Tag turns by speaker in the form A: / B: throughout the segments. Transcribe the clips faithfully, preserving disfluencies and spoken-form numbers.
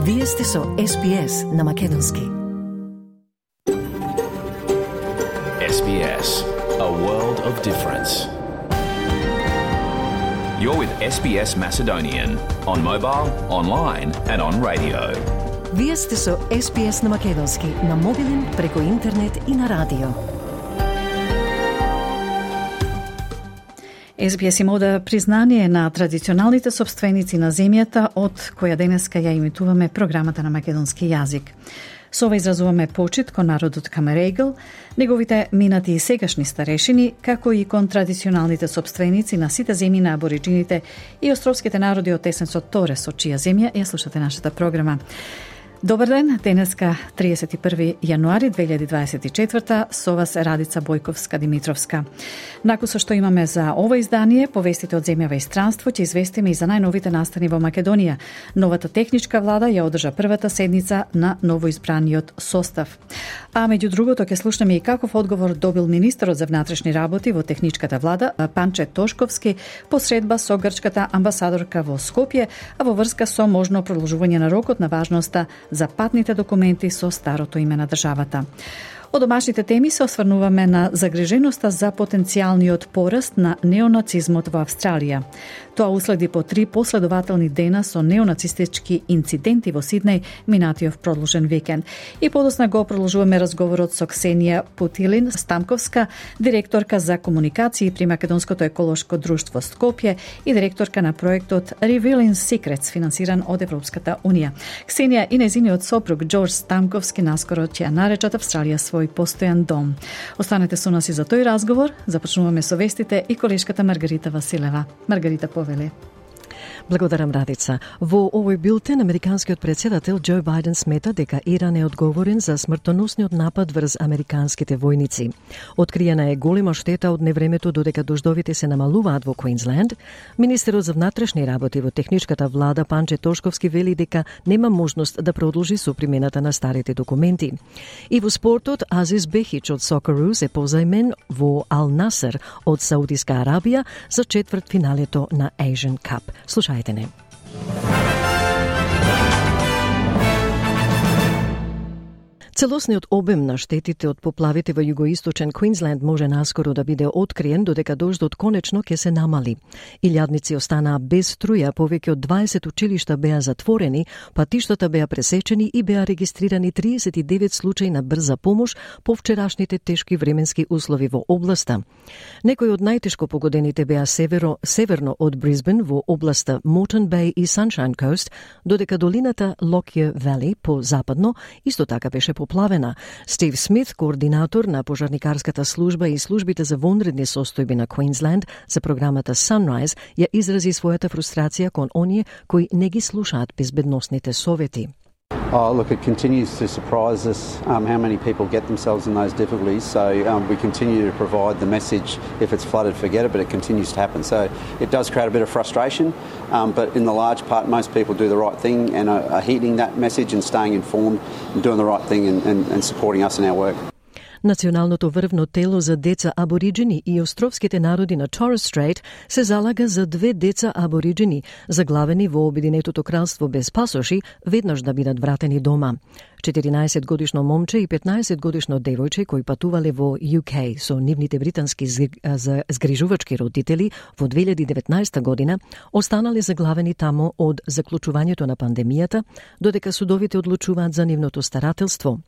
A: Вие сте со Ес Би Ес на Македонски.
B: Ес Би Ес, a world of difference. You're with Ес Би Ес Macedonian on mobile, online and on radio.
A: Вие сте со Ес Би Ес на Македонски, на мобилен, преку интернет и на радио.
C: Ес Би Ес им ода признание на традиционалните собственици на земјата, од која денеска ја имитуваме програмата на македонски јазик. Со ова изразуваме почит кон народот Камерегл, неговите минати и сегашни старешини, како и кон традиционалните собственици на сите земји на абориджините и островските народи од Тесенцот Торес, од чија земја ја слушате нашата програма. Добар ден, денеска триесет и први јануари две илјади дваесет и четврта, со вас Радица Бојковска-Димитровска. Накусо што имаме за ова издание, повестите од земјава и странство, ќе известиме и за најновите настани во Македонија. Новата техничка влада ја одржа првата седница на новоизбраниот состав. А меѓу другото ќе слушнеме и каков одговор добил министерот за внатрешни работи во техничката влада Панче Тошковски по средба со грчката амбасадорка во Скопје, а во врска со можно продолжување на рокот на важноста за патните документи со старото име на државата. Од домашните теми се осврнуваме на загриженоста за потенцијалниот пораст на неонацизмот во Австралија. Тоа уследи по три последователни дена со неонацистички инциденти во Сиднеј минатиот продолжен викенд. И подосна го продолжуваме разговорот со Ксенија Путилин Стамковска, директорка за комуникации при Македонското еколошко друштво Скопје и директорка на проектот Revealing Secrets, финансиран од Европската Унија. Ксенија и незиниот сопруг Џорџ Стамковски наскоро ќе ја наречат Австралија свој постојан дом. Останете со нас и за тој разговор. Започнуваме со вестите и колешката Маргарита Василева. Маргарита, повели.
D: Благодарам, Радица. Во овој билтен, американскиот председател Џо Бајден смета дека Иран е одговорен за смртоносниот напад врз американските војници. Откриена е голема штета од невремето додека дождовите се намалуваат во Квинсленд. Министерот за внатрешни работи во техничката влада Панче Тошковски вели дека нема можност да продолжи со примената на старите документи. И во спортот, Азиз Бехич од Сокероос е позајмен во Ал Насер од Саудиска Арабија за четврт финалето на Asian Cup. Слушајте не. Целосниот обем на штетите од поплавите во југоисточен Квинсленд може наскоро да биде откриен додека дождот конечно ќе се намали. Илјадници останаа без струја, повеќе од дваесет училишта беа затворени, патиштата беа пресечени и беа регистрирани триесет и девет случаи на брза помош по вчерашните тешки временски услови во областа. Некои од најтешко погодените беа северо, северно од Брисбен во областа Moreton Bay и Sunshine Coast, додека долината Lockyer Valley по западно исто така беше поплавена. Стив Смит, координатор на пожарникарската служба и службите за вонредни состојби на Квинсленд за програмата Sunrise, ја изрази својата фрустрација кон оние кои не ги слушаат безбедносните совети.
E: Oh, look, it continues to surprise us um, how many people get themselves in those difficulties. So um, we continue to provide the message, if it's flooded, forget it, but it continues to happen. So it does create a bit of frustration, um, but in the large part, most people do the right thing and are, are heeding that message and staying informed and doing the right thing and, and, and supporting us in our work.
D: Националното врвно тело за деца абориджини и островските народи на Торес Стрейт се залага за две деца абориджини, заглавени во Обединетото кралство без пасоши, веднаш да бидат вратени дома. четиринаесет годишно момче и петнаесет годишно девојче кои патувале во Ю Кеј со нивните британски згрижувачки родители во две илјади и деветнаесета година останале заглавени тамо од заклучувањето на пандемијата, додека судовите одлучуваат за нивното старателство.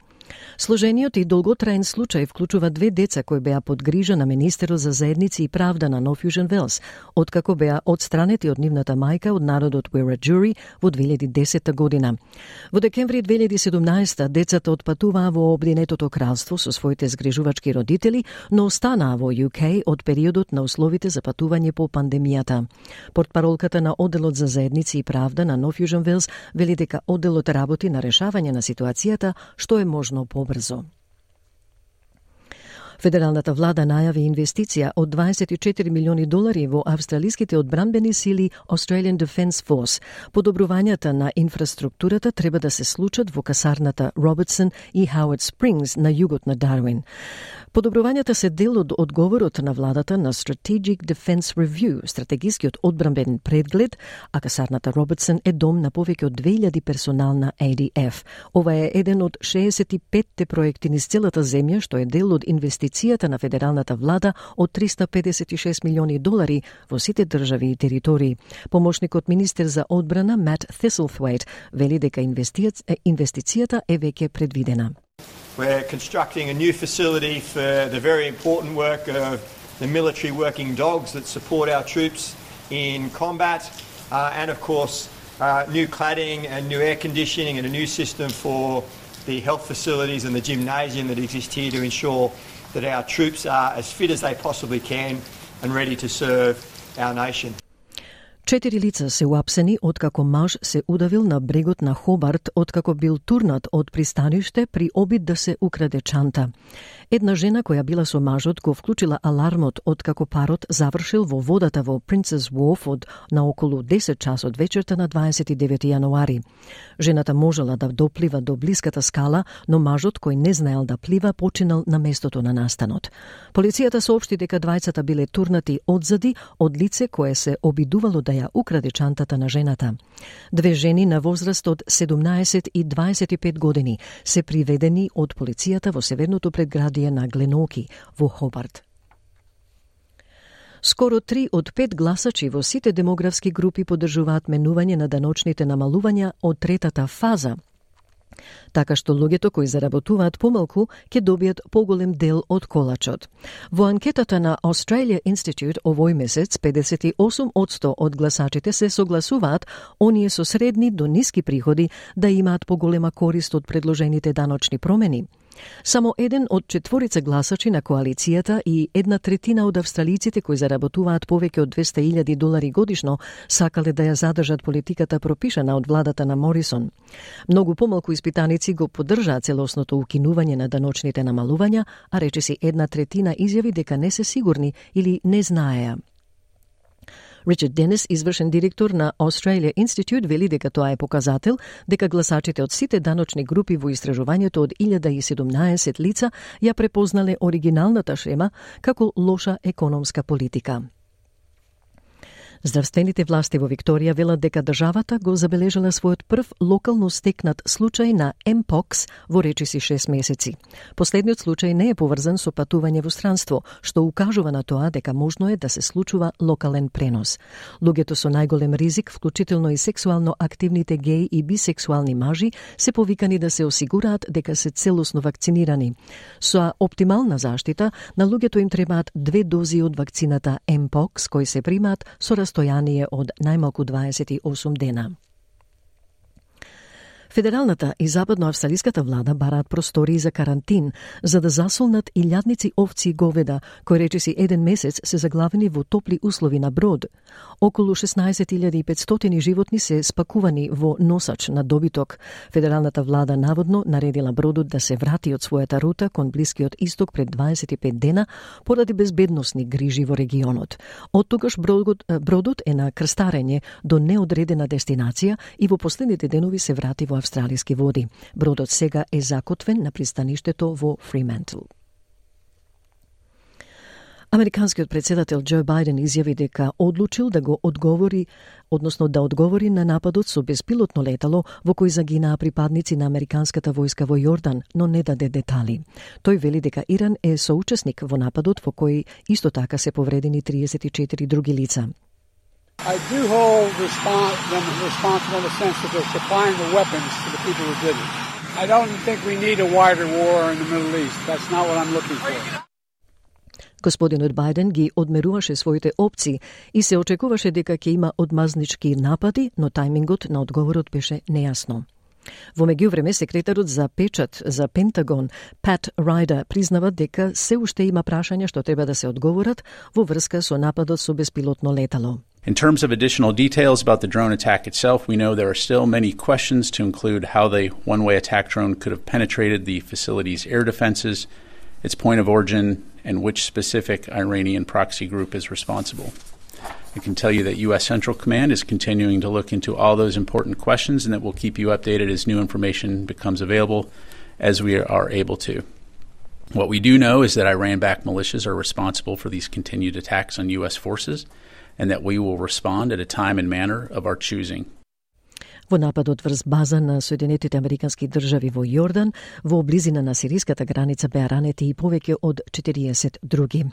D: Сложениот и долготраен случај вклучува две деца кои беа под грижа на Министерот за заедници и правда на Нов Јужен Велс, откако беа одстранети од нивната мајка од народот Уираджури во две илјади и десета година. Во декември две илјади и седумнаесета децата отпатуваа во Обединетото кралство со своите згрижувачки родители, но останаа во Ю Кеј од периодот на условите за патување по пандемијата. Портпаролката на Одделот за заедници и правда на Нов Јужен Велс вели дека одделот работи на решавање на ситуацијата што е можно побрзо. Федералната влада најави инвестиција од дваесет и четири милиони долари во австралиските одбранбени сили Australian Defence Force. Подобрувањата на инфраструктурата треба да се случат во касарната Робертсон и Хауард Спрингс на југот на Дарвин. Подобрувањата се дел од одговорот на владата на Strategic Defense Review, стратегискиот одбранбен преглед, а касарната Робертсон е дом на повеќе од две илјади персонал на A D F. Ова е еден од шеесет и петте проекти низ целата земја, што е дел од инвестицијата на федералната влада од триста педесет и шест милиони долари во сите држави и територии. Помошникот министер за одбрана Matt Thistlethwaite вели дека инвестицијата е веќе предвидена.
F: We're constructing a new facility for the very important work of the military working dogs that support our troops in combat, uh, and of course uh, new cladding and new air conditioning and a new system for the health facilities and the gymnasium that exist here to ensure that our troops are as fit as they possibly can and ready to serve our nation.
D: Четири лица се уапсени откако маж се удавил на брегот на Хобарт откако бил турнат од пристаниште при обид да се украде чанта. Една жена која била со мажот го вклучила алармот откако парот завршил во водата во Princess Wharf од на околу десет часот вечерта на дваесет и девети јануари. Жената можела да доплива до блиската скала, но мажот кој не знаел да плива починал на местото на настанот. Полицијата соопшти дека двајцата биле турнати одзади од лице кое се обидувало да ја украде чантата на жената. Две жени на возраст од седумнаесет и дваесет и пет години се приведени од полицијата во северното предградие на Гленоки во Хобарт. Скоро три од пет гласачи во сите демографски групи поддржуваат менување на даночните намалувања од третата фаза, така што луѓето кои заработуваат помалку ќе добијат поголем дел од колачот. Во анкетата на Australia Institute овој месец педесет и осум одсто од гласачите се согласуваат оние со средни до ниски приходи да имаат поголема корист од предложените даночни промени. Само еден од четворица гласачи на коалицијата и една третина од австралиците кои заработуваат повеќе од двесте илјади долари годишно сакале да ја задржат политиката пропишана од владата на Морисон. Многу помалку испитаници го поддржаат целосното укинување на даночните намалувања, а речиси една третина изјави дека не се сигурни или не знаеа. Ричард Денис, извршен директор на Australia Institute, вели дека тоа е показател дека гласачите од сите даночни групи во истражувањето од илјада и седумнаесет лица ја препознале оригиналната шема како лоша економска политика. Здравствените власти во Викторија велат дека државата го забележала својот прв локално стекнат случај на Mpox во речиси шест месеци. Последниот случај не е поврзан со патување во странство, што укажува на тоа дека можно е да се случува локален пренос. Луѓето со најголем ризик, вклучително и сексуално активните геи и бисексуални мажи, се повикани да се осигураат дека се целосно вакцинирани. Со оптимална заштита, на луѓето им требаат две дози од вакцината Mpox, кои се примаат со стојание од најмалку дваесет и осум дена. Федералната и западноавстралиската влада бараат простории за карантин за да засолнат илјадници овци и говеда, кои речиси еден месец се заглавени во топли услови на брод. Околу шеснаесет илјади и петстотини животни се спакувани во носач на добиток. Федералната влада наводно наредила бродот да се врати од својата рута кон Блискиот исток пред дваесет и пет дена поради безбедносни грижи во регионот. Од тогаш бродот, бродот е на крстарење до неодредена дестинација и во последните денови се врати во австралиски води. Бродот сега е закотвен на пристаништето во Фримантл. Американскиот председател Џо Бајден изјави дека одлучил да го одговори, односно да одговори на нападот со беспилотно летало во кој загинаа припадници на американската војска во Јордан, но не даде детали. Тој вели дека Иран е соучесник во нападот во кој исто така се повредени триесет и четири други лица.
G: I do hold respons- them responsible in the sense that they're supplying the weapons to the people who did it. I don't think we need a wider war in the Middle East. That's not what I'm looking for.
D: Господинот Бајден ги одмеруваше своите опции и се очекуваше дека ќе има одмазнички напади, но тајмингот на одговорот беше нејасно. Во меѓувреме, секретарот за печат за Пентагон, Пат Райдер, признава дека се уште има прашања што треба да се одговорат во врска со нападот со беспилотно летало.
H: In terms of additional details about the drone attack itself, we know there are still many questions to include how the one-way attack drone could have penetrated the facility's air defenses, its point of origin, and which specific Iranian proxy group is responsible. I can tell you that U S Central Command is continuing to look into all those important questions and that we'll keep you updated as new information becomes available as we are able to. What we do know is that Iran-backed militias are responsible for these continued attacks on U S forces and that we will respond at a time and manner of our choosing.
D: Во нападот врз база на Соединетите Американски држави во Јордан, во близина на сириската граница беа ранети и повеќе од четириесет други.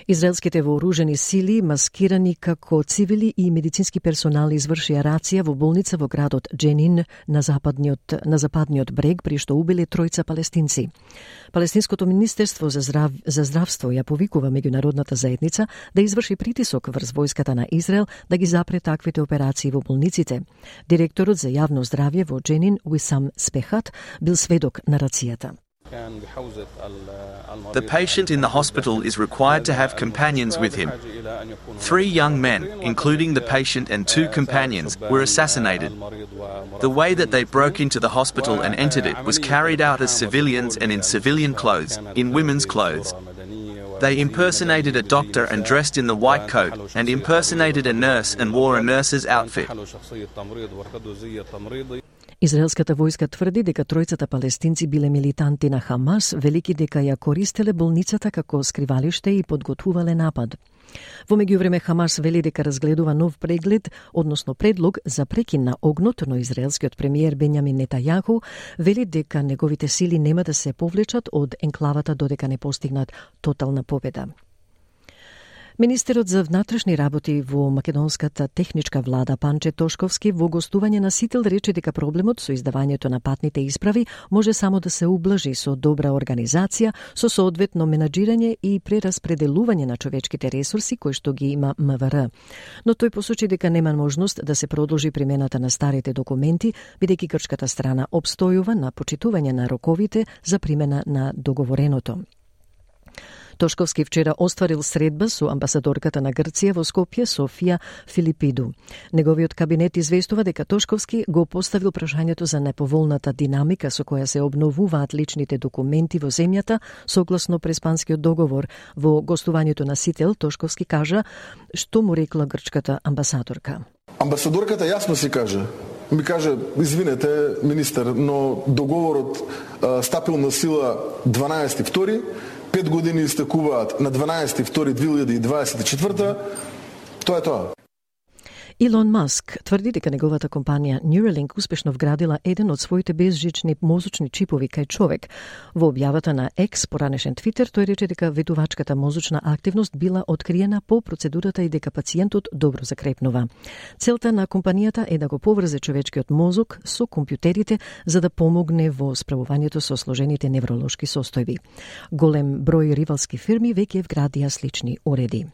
D: Израелските вооружени сили, маскирани како цивили и медицински персонал, извршија рација во болница во градот Дженин на западниот, на западниот брег, при што убиле тројца палестинци. Палестинското министерство за, здрав, за здравство ја повикува меѓународната заедница да изврши притисок врз војската на Израел да ги запре таквите операции во болниците. Директорот за јавно здравје во Дженин, Уисам Спехат, бил сведок на рацијата.
I: The patient in the hospital is required to have companions with him. Three young men, including the patient and two companions, were assassinated. The way that they broke into the hospital and entered it was carried out as civilians and in civilian clothes, in women's clothes. They impersonated a doctor and dressed in the white coat, and impersonated a nurse and wore a nurse's outfit.
D: Израелската војска тврди дека тројцата палестинци биле милитанти на Хамас, велики дека ја користеле болницата како скривалиште и подготвувале напад. Во меѓувреме Хамас вели дека разгледува нов преглед, односно предлог за прекин на огнот, но израелскиот премиер Бенјамин Нетајаху вели дека неговите сили нема да се повлечат од енклавата додека не постигнат тотална победа. Министерот за внатрешни работи во македонската техничка влада Панче Тошковски во гостување на Сител рече дека проблемот со издавањето на патните исправи може само да се ублажи со добра организација, со соодветно менаџирање и прераспределување на човечките ресурси кои што ги има МВР. Но тој посочи дека нема можност да се продолжи примената на старите документи, бидејќи грчката страна обстојува на почитување на роковите за примена на договореното. Тошковски вчера остварил средба со амбасадорката на Грција во Скопје, Софија Филипиду. Неговиот кабинет известува дека Тошковски го поставил прашањето за неповолната динамика со која се обновуваат личните документи во земјата согласно преспанскиот договор. Во гостувањето на Сител Тошковски кажа што му рекла грчката амбасадорка.
J: Амбасадорката јасно си кажа. Ми каже, извинете, министер, но договорот а, стапил на сила дванаесети втори, пет години истекуваат на дванаесети втори две илјади и дваесет и четврта. Тоа е тоа.
D: Илон Маск тврди дека неговата компанија Neuralink успешно вградила еден од своите безжични мозочни чипови кај човек. Во објавата на X, поранешен Твитер, тој рече дека ветувачката мозочна активност била откриена по процедурата и дека пациентот добро закрепнува. Целта на компанијата е да го поврзе човечкиот мозок со компјутерите за да помогне во справувањето со сложените невролошки состојби. Голем број ривалски фирми веќе вградија слични уреди.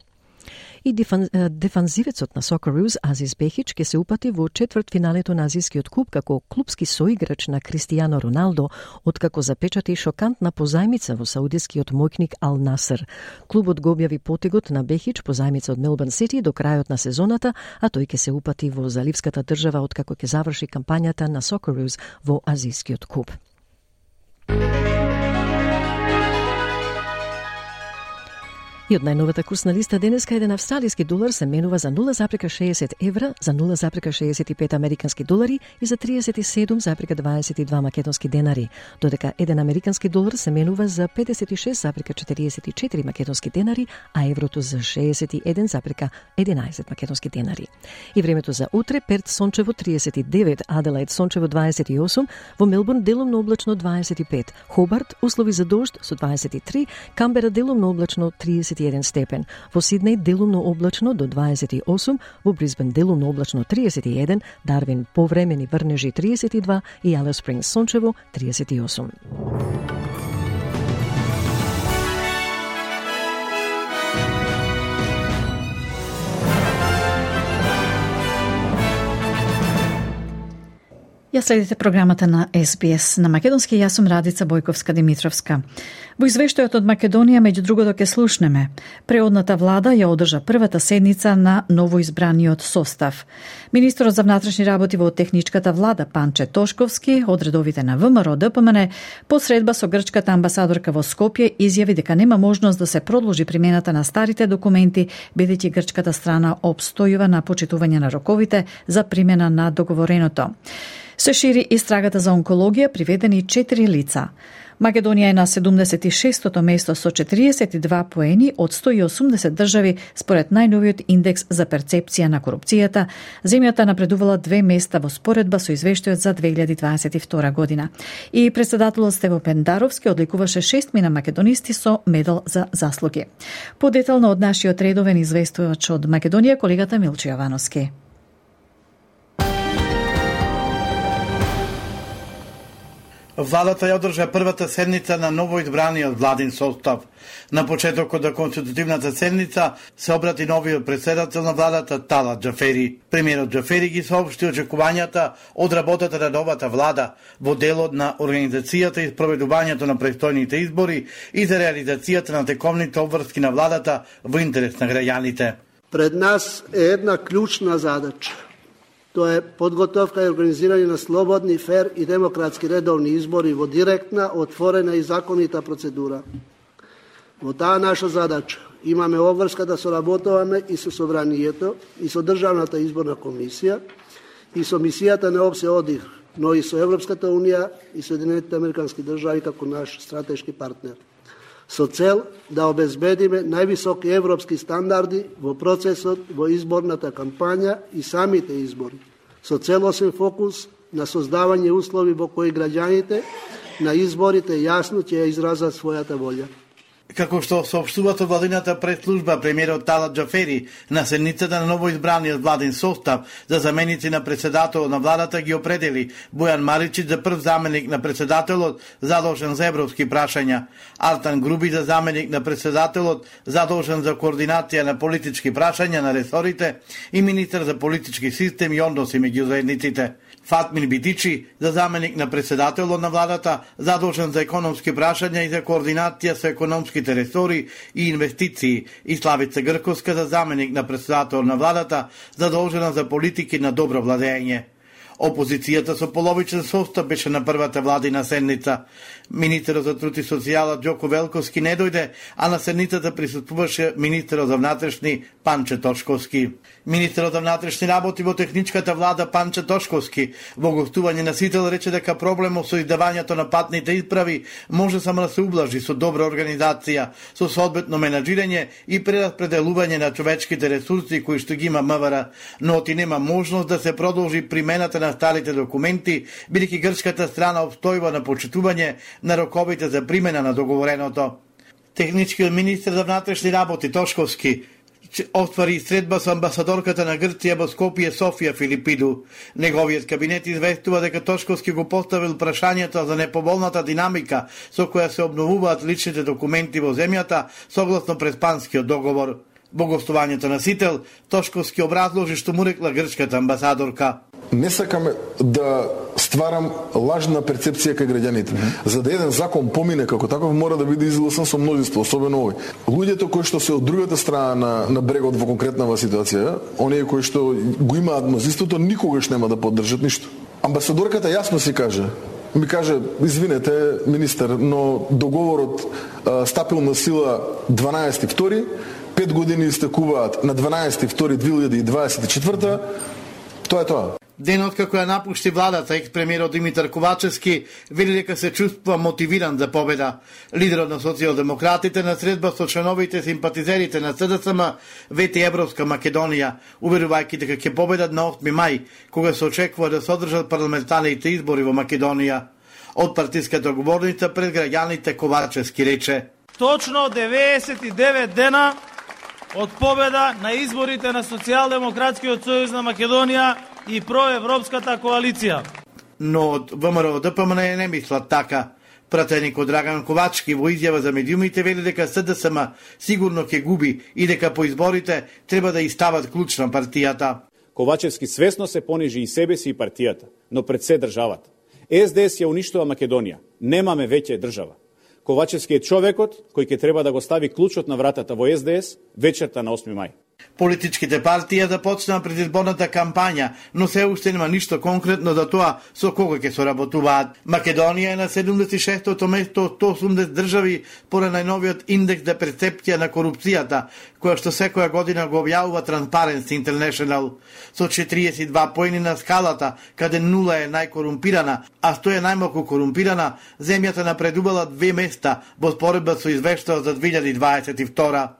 D: И дефанзивецот на Сокероос Азис Бехич ке се упати во четвртфиналето на Азискиот куп како клубски соиграч на Кристијано Роналдо, откако запечати шокантна позајмица во саудискиот моќник Ал Насер. Клубот го објави потегот на Бехич позајмица од Мелбурн Сити до крајот на сезоната, а тој ке се упати во заливската држава откако ќе заврши кампањата на Сокероос во Азискиот куп. И од најновата курсна листа денеска еден австралиски долар се менува за нула запрека шеесет евра, за нула запрека шеесет и пет американски долари и за триесет и седум запрека дваесет и два македонски денари, додека еден американски долар се менува за педесет и шест запрека четириесет и четири македонски денари, а еврото за шеесет и еден запрека единаесет македонски денари. И времето за утре: Перт сончево триесет и девет, Аделаид сончево дваесет и осум, во Мелбурн делумно облачно дваесет и пет, Хобарт услови за дожд со дваесет и три, Камбера делумно облачно триесет и еден степен, во Сиднеј делумно облачно до дваесет и осум, во Брисбен делумно облачно триесет и еден, Дарвин повремени врнежи триесет и два и Алис Спрингс сончево триесет и осум.
C: Ја следите програмата на Ес Би Ес на македонски. Јас сум Радица Бојковска-Димитровска. Во извештајот од Македонија, меѓу другото, ке слушнеме: преодната влада ја одржа првата седница на новоизбраниот состав. Министерот за внатрешни работи во техничката влада Панче Тошковски од редовите на ВМРО Д П М Н по средба со грчката амбасадорка во Скопје изјави дека нема можност да се продолжи примената на старите документи, бидејќи грчката страна обстојува на почитување на роковите за примена на договореното. Се шири истрагата за онкологија, приведени четири лица. Македонија е на седумдесет и шестото место со четириесет и два поени од сто и осумдесет држави според најновиот индекс за перцепција на корупцијата. Земјата напредувала две места во споредба со извештајот за две илјади дваесет и втора година. И председателот Стево Пендаровски одликуваше шестмина македонисти со медал за заслуги. Подетално од нашиот редовен известувач од Македонија, колегата Милчо Јовановски.
K: Владата ја одржа првата седница на новоизбраниот владин состав. На почетокот на конститутивната седница се обрати новиот председател на владата Талат Џафери. Премиерот Џафери ги соопшти очекувањата од работата на новата влада во делот на организацијата и спроведувањето на престојните избори и за реализацијата на тековните обврски на владата во интерес на граѓаните.
L: Пред нас е една клучна задача. Тоа е подготовка и организирање на слободни, фер и демократски редовни избори во директна, отворена и законита процедура. Во таа наша задача имаме обврска да соработуваме и со Собранието, и со Државната изборна комисија, и со мисијата на ОПСЕ ОДИХ, но и со Европската унија и Соединетите американски држави како наш стратешки партнер, со цел да обезбедиме највисоки европски стандарди во процесот во изборната кампања и самите избори, со целосен фокус на создавање услови во кои граѓаните на изборите јасно ќе ја изразат својата волја.
K: Како што соопштува со владината пресслужба, премиерот Талат Џафери на седницата на новоизбраниот владин состав за заменици на председателот на владата ги определи Бојан Маричич за прв заменик на председателот задолжен за европски прашања, Артан Груби за заменик на председателот задолжен за координација на политички прашања на ресорите и министар за политички систем и односи меѓу заедниците. Фатмин Битичи за заменик на председателот на владата задолжен за економски прашања и за координација со економските ресори и инвестиции, и Славица Грковска за заменик на председател на владата задолжена за политики на добро владење. Опозицијата со половичен состав беше на првата владина седница. Министерот за труд и социјала Ѓоко Велковски не дојде, а на седницата присуствуваше министерот за внатрешни Панче Тошковски. Министерот за внатрешни работи во техничката влада Панче Тошковски во гостување на Сител рече дека проблемот со издавањето на патните исправи може само да се ублажи со добра организација, со соодветно менаџирање и прераспределување на човечките ресурси кои што ги има МВР, но оти нема можност да се продолжи примената на старите документи, бидејќи грчката страна обстојува на почитување на роковите за примена на договореното. Техничкиот министер за внатрешни работи Тошковски оствари средба со амбасадорката на Грција во Скопје Софија Филипиду. Неговиот кабинет известува дека Тошковски го поставил прашањето за неповолната динамика со која се обновуваат личните документи во земјата согласно Преспанскиот договор. Во гостувањето на Сител, Тошковски образложи што му рекла грчката амбасадорка.
J: Не сакаме да стварам лажна перцепција кај граѓаните. Mm-hmm. За да еден закон помине како таков мора да биде изгласан со множество, особено овој. Луѓето кои што се од другата страна на, на брегот во конкретнава ситуација, оние кои што го имаат мнозинството, никогаш нема да поддржат ништо. Амбасадорката јасно си каже, ми каже, извинете, министер, но договорот а, стапил на сила дванаесети втори, пет години истекуваат на дванаесети втори две илјади дваесет и четврта. Тоа е тоа.
K: Денот како ја напушти владата, екс-премиерот Димитар Ковачевски вели дека се чувствува мотивиран за победа. Лидерот на социјалдемократите на средба со членовите симпатизерите на СДСМ вети Европска Македонија, уверувајќи дека ќе победат на осми мај, кога се очекува да се одржат парламентарните избори во Македонија. Од партиската говорница пред граѓаните Ковачевски рече:
M: Точно деветдесет и девет дена од победа на изборите на Социјалдемократскиот сојуз на Македонија и проевропската коалиција.
K: Но од ВМРО ДПМН не мислат така. Пратеникот Драган Ковачки во изјава за медиумите вели дека СДСМ сигурно ќе губи и дека по изборите треба да истават клуч на партијата.
N: Ковачевски свесно се понижи и себе си и партијата, но пред се државата. СДС ја уништува Македонија. Немаме веќе држава. Ковачевски е човекот кој ќе треба да го стави клучот на вратата во СДС вечерта на осми мај.
K: Политичките партии започнаа предизборната кампања, но се уште нема ништо конкретно за тоа со кого ќе соработуваат. Македонија е на седумдесет и шестото место од сто и осумдесет држави според најновиот индекс за перцепција на корупцијата, која што секоја година го објавува Transparency International. Со четириесет и два поени на скалата, каде нула е најкорумпирана, а сто е најмалку корумпирана, земјата напредувала две места во споредба со извештајот за две илјади дваесет и втора.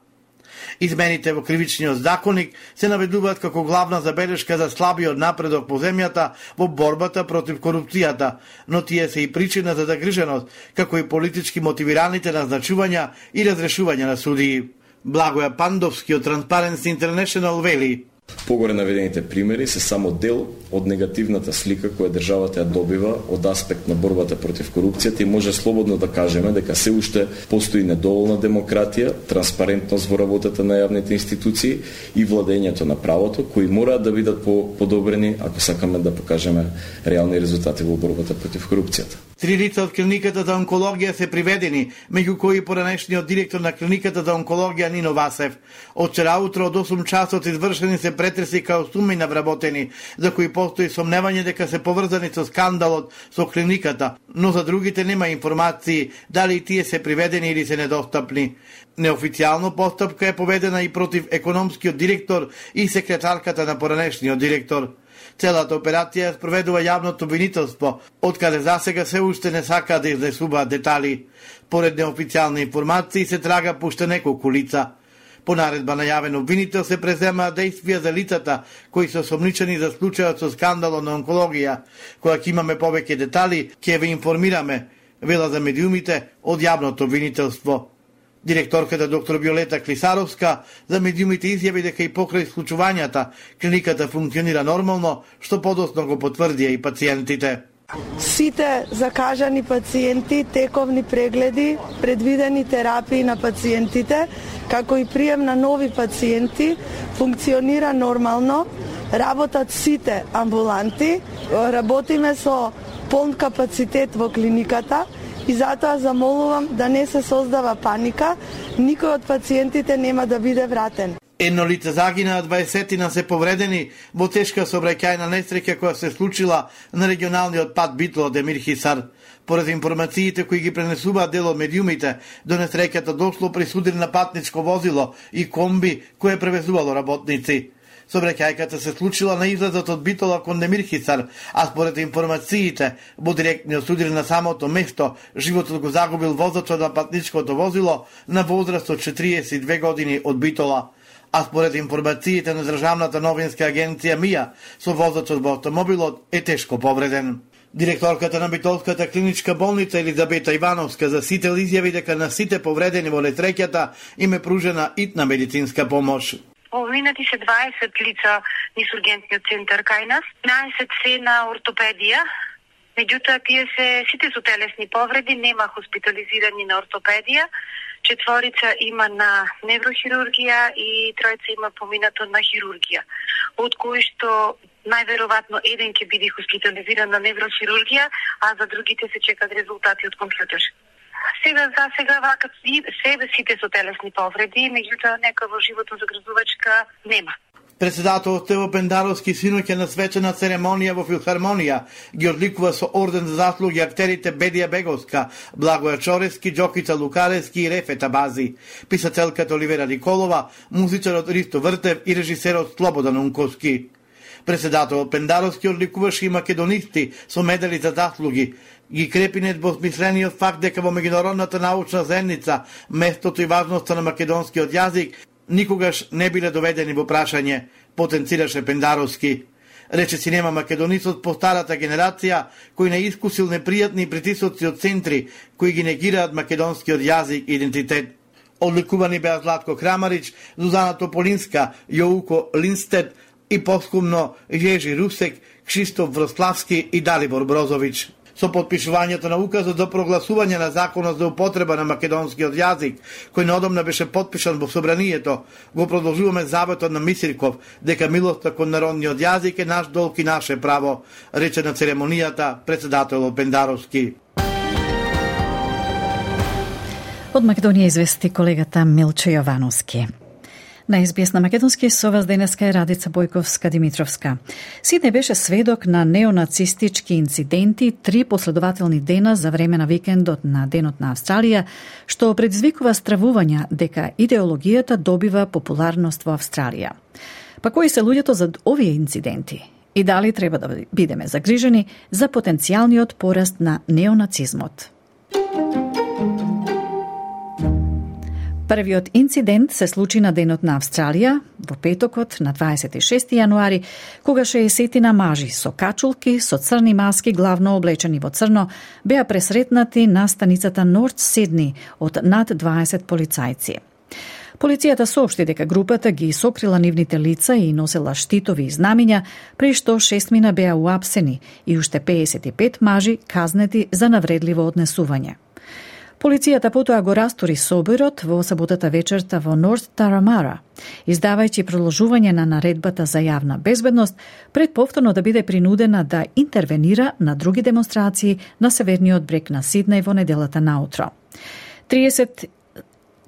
K: Измените во кривичниот законник се наведуваат како главна забелешка за слабиот напредок по земјата во борбата против корупцијата, но тие се и причина за загриженост, како и политички мотивираните назначувања и разрешувања на судии. Благоја Пандовски од Transparency International вели:
O: Погоре наведените примери се само дел од негативната слика која државата ја добива од аспект на борбата против корупцијата и може слободно да кажеме дека се уште постои недоволна демократија, транспарентност во работата на јавните институции и владењето на правото, кои мораат да бидат подобрени ако сакаме да покажеме реални резултати во борбата против корупцијата.
K: Три лица од клиниката за онкологија се приведени, меѓу кои поранешниот директор на клиниката за онкологија Нино Васев. Од вчера утро од осум часот извршени се претреси као суми на вработени, за кои постои сомневање дека се поврзани со скандалот со клиниката, но за другите нема информации дали тие се приведени или се недостапни. Неофицијално постапка е поведена и против економскиот директор и секретарката на поранешниот директор. Целата операција спроведува јавното обвинителство, откаде засега се уште не сака да изнесуваат детали. Поред неофицијални информации се трага по уште неколку лица. По наредба на јавен обвинител се преземаат действија за лицата кои се осомничени за случајот со скандалот на онкологија. Кога ќе имаме повеќе детали, ќе ве информираме, вела за медиумите од јавното обвинителство. Директорката доктор Виолета Клисаровска за медиумите изјави дека и покрај случувањата клиниката функционира нормално, што подоцна го потврдија и пациентите.
P: Сите закажани пациенти, тековни прегледи, предвидени терапии на пациентите, како и прием на нови пациенти, функционира нормално, работат сите амбуланти, работиме со полн капацитет во клиниката и затоа замолувам да не се создава паника, никој од пациентите нема да биде вратен.
K: Едно лице загина, дваесетина се повредени во тешка сообраќајна несреќа која се случила на регионалниот пат Битло од Емир Хисар. Поред информациите кои ги пренесуваат дел од медиумите, до несреќата дошло при судар на патничко возило и комби кое превезувало работници. Сообраќајката се случила на излазот од Битола кон Емир Хисар, а според информациите, во директниот судар на самото место, животот го загубил возачот на патничкото возило на возраст од четириесет и две години од Битола. А според информациите на Државната новинска агенција МИА, со возачот во автомобилот е тешко повреден. Директорката на Битолската клиничка болница Елизабета Ивановска за сител изјави дека на сите повредени во несреќата им е пружена итна медицинска помош.
Q: Поминати се дваесет лица низ ургентниот центар кај нас, наесет се на ортопедија. Меѓутоа, тие се сите со телесни повреди, нема хоспитализирани на ортопедија, четворица има на неврохирургија и тројца има поминато на хирургија, од кои што најверојатно еден ќе биде хоспитализиран на неврохирургија, а за другите се чекат резултати од компјутер. Сега за сега вака себе сите со телесни повреди, меѓутоа нека во животно загрозувачка нема.
K: Председателот Тево Пендаровски синоќа на свечена церемонија во Филхармонија ги одликува со орден за заслуги актерите Бедија Беговска, Благоја Чорески, Џокица Лукаревски и Рефета Бази, писателката Оливера Николова, музичарот Ристо Вртев и режисерот Слободан Унковски. Председателот Пендаровски одликуваше и македонисти со медали за заслуги. Ги крепи недвосмислениот факт дека во меѓународната научна заедница местото и важноста на македонскиот јазик никогаш не биле доведени во прашање, потенцираше Пендаровски. Рече нема македонисот по старата генерација, кој не искусил непријатни притисоци од центри, кои ги негираат македонскиот јазик и идентитет. Одликувани беа Златко Крамарич, Зузана Тополинска, Јоуко Линстед и поскумно Јежи Русек, Кшистоф Врославски и Далибор Брозович. Со подпишувањето на указот за прогласување на законот за употреба на македонскиот јазик, кој неодамна беше подпишан во собранието, го продолжуваме заветот на Мисирков дека милоста кон народниот јазик е наш долг и наше право, рече на церемонијата председателот Пендаровски.
C: Од Македонија извести колегата Милчо Јовановски. На ес би ес на македонски со вас денеска е Радица Бојковска-Димитровска. Сиднеј беше сведок на неонацистички инциденти три последователни дена за време на викендот на Денот на Австралија, што предизвикува стравувања дека идеологијата добива популарност во Австралија. Па кои се луѓето за овие инциденти? И дали треба да бидеме загрижени за потенцијалниот пораст на неонацизмот? Првиот инцидент се случи на Денот на Австралија, во петокот на дваесет и шести јануари, кога шеесетина мажи со качулки, со црни маски, главно облечени во црно, беа пресретнати на станицата Норт Сидни од над дваесет полицајци. Полицијата соопшти дека групата ги сокрила нивните лица и носела штитови и знамиња, при што шестмина беа уапсени и уште пеесет и пет мажи казнети за навредливо однесување. Полицијата потоа го растури соборот во саботата вечерта во Норт Тарамара, издавајќи продолжување на наредбата за јавна безбедност, пред повторно да биде принудена да интервенира на други демонстрации на северниот брег на Сиднеј во неделата наутро.